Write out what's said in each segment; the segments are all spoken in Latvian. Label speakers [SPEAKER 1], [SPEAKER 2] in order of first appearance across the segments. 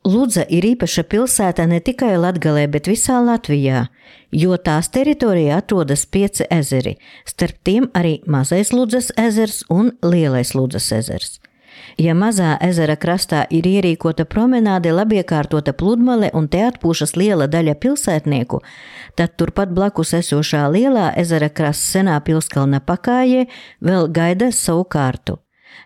[SPEAKER 1] Ludza ir īpaša pilsēta ne tikai Latgalē, bet visā Latvijā, jo tās teritorijā atrodas 5 ezeri, starp tiem arī Mazais Ludzas ezers un Lielais Ludzas ezers. Ja mazā ezera krastā ir ierīkota promenāde, labiekārtota pludmale un te atpūšas liela daļa pilsētnieku, tad turpat blakus esošā lielā ezera krasta senā pilskalna pakājē vēl gaida savu kārtu.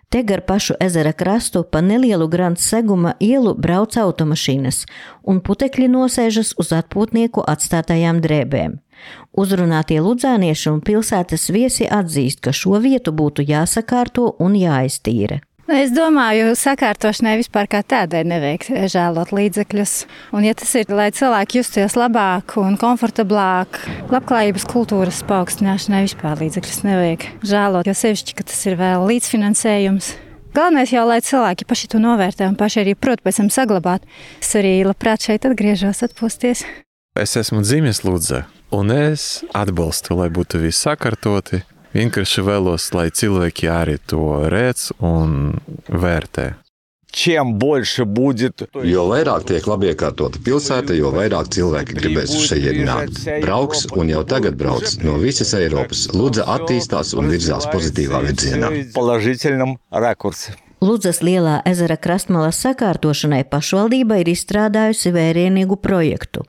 [SPEAKER 1] Te gar pašu ezera krastu pa nelielu Grants seguma ielu brauc automašīnas, un putekļi nosēžas uz atpūtnieku atstātajām drēbēm. Uzrunātie ludzānieši un pilsētas viesi atzīst, ka šo vietu būtu jāsakārto un jāiztīra.
[SPEAKER 2] Es domāju, sakārtošanai vispār kā tādai nevajag žēlot līdzekļus. Un ja tas ir, lai cilvēki justies labāk un komfortablāk, labklājības kultūras paaugstināšanai vispār līdzekļus nevajag žēlot, jo sevišķi, ka tas ir vēl līdzfinansējums. Galvenais jau, lai cilvēki paši to novērtē un paši arī prot pēc tam saglabāt. Es arī labprāt šeit atgriežos atpūsties.
[SPEAKER 3] Es esmu dzimis Ludzā, un es atbalstu, lai būtu viss sakārtoti. Vienkārši vēlos, lai cilvēki arī to redz un vērtē.
[SPEAKER 4] Jo vairāk tiek labi iekārtota pilsēta, jo vairāk cilvēki gribēs uz šejieni nākt. Brauks un jau tagad brauc no visas Eiropas. Ludza attīstās un virzās pozitīvā virzienā.
[SPEAKER 1] Ludzas lielā ezera krastmalas sakārtošanai pašvaldība ir izstrādājusi vērienīgu projektu,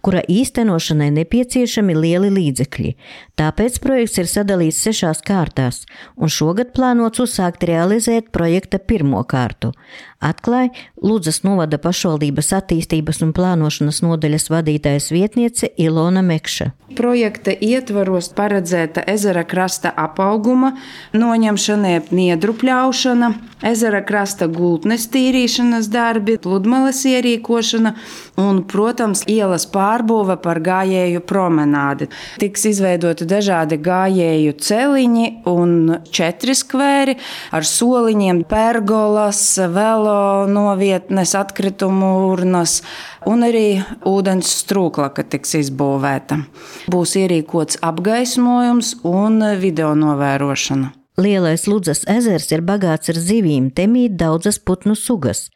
[SPEAKER 1] kura īstenošanai nepieciešami lieli līdzekļi. Tāpēc projekts ir sadalīts 6 kārtās, un šogad plānots uzsākt realizēt projekta 1. kārtu. Atklāja Ludzas novada pašvaldības attīstības un plānošanas nodaļas vadītājas vietniece Ilona Mekša.
[SPEAKER 5] Projekta ietvaros paredzēta ezera krasta apauguma noņemšana, niedru pļaušana, ezera krasta gultnes tīrīšanas darbi, pludmales ierīkošana un, protams, ielas pārbūve par gājēju promenādi. Tiks izveidoti dažādi gājēju celiņi un 4 skvēri ar soliņiem, pergolas, velo novietnes, atkritumu urnas un arī ūdens strūklaka tiks izbūvēta. Būs ierīkots apgaismojums un video novērošana.
[SPEAKER 1] Lielais Ludzas ezers ir bagāts ar zivīm, te mīt daudzas putnu sugas.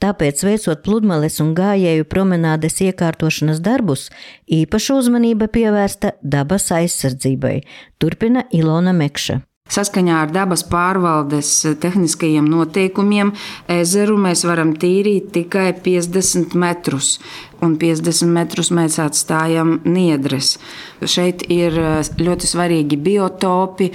[SPEAKER 1] Tāpēc, veicot pludmales un gājēju promenādes iekārtošanas darbus, īpaša uzmanība pievērsta dabas aizsardzībai, turpina Ilona Mekša.
[SPEAKER 5] Saskaņā ar dabas pārvaldes tehniskajiem noteikumiem ezeru mēs varam tīrīt tikai 50 metrus, un 50 metrus mēs atstājam niedres. Šeit ir ļoti svarīgi biotopi,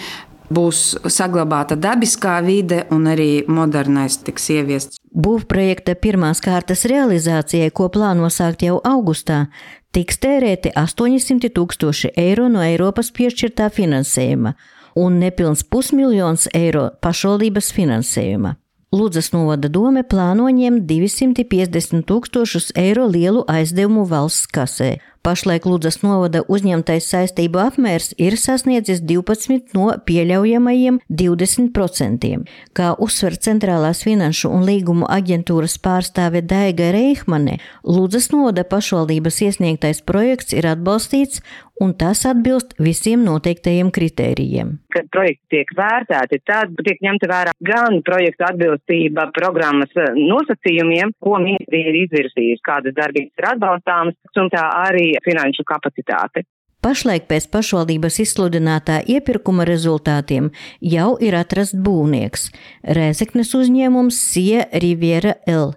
[SPEAKER 5] būs saglabāta dabiskā vide un arī modernais tiks ieviests.
[SPEAKER 1] Būvprojekta 1. kārtas realizācijai, ko plāno sākt jau augustā, tiks tērēti 800 000 eiro no Eiropas piešķirtā finansējuma un nepilns 500 000 eiro pašvaldības finansējuma. Ludzas novada dome plāno ņemt 250 000 eiro lielu aizdevumu valsts kasē. Pašlaik Ludzas novada uzņemtais saistību apmērs ir sasniedzis 12 no pieļaujamajiem 20%. Kā uzsver Centrālās finanšu un līgumu aģentūras pārstāve Daiga Reihmane, Ludzas novada pašvaldības iesniegtais projekts ir atbalstīts un tas atbilst visiem noteiktajiem kritērijiem.
[SPEAKER 6] Kad projekti tiek vērtēti, tad tiek ņemta vērā gan projekta atbilstība programmas nosacījumiem, ko ministrija ir izvirsījusi, kādas darbības ir atbalstāmas, un tā arī finanšu kapacitāte.
[SPEAKER 1] Pašlaik pēc pašvaldības izsludinātā iepirkuma rezultātiem jau ir atrasts būvnieks – Rēzeknes uzņēmums Sija Riviera L,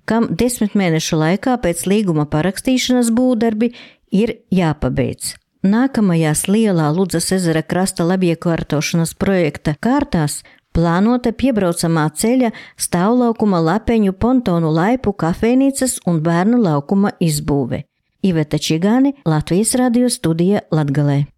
[SPEAKER 1] kam 10 mēnešu laikā pēc līguma parakstīšanas būvdarbi ir jāpabeidz. Nākamajās lielā Ludzas ezera krasta labiekārtošanas projekta kārtās plānota piebraucamā ceļa, stāvlaukuma, lapeņu, pontonu laipu, kafejnīcas un bērnu laukuma izbūve. Iveta Čigāne, Latvijas radio studija Latgalē.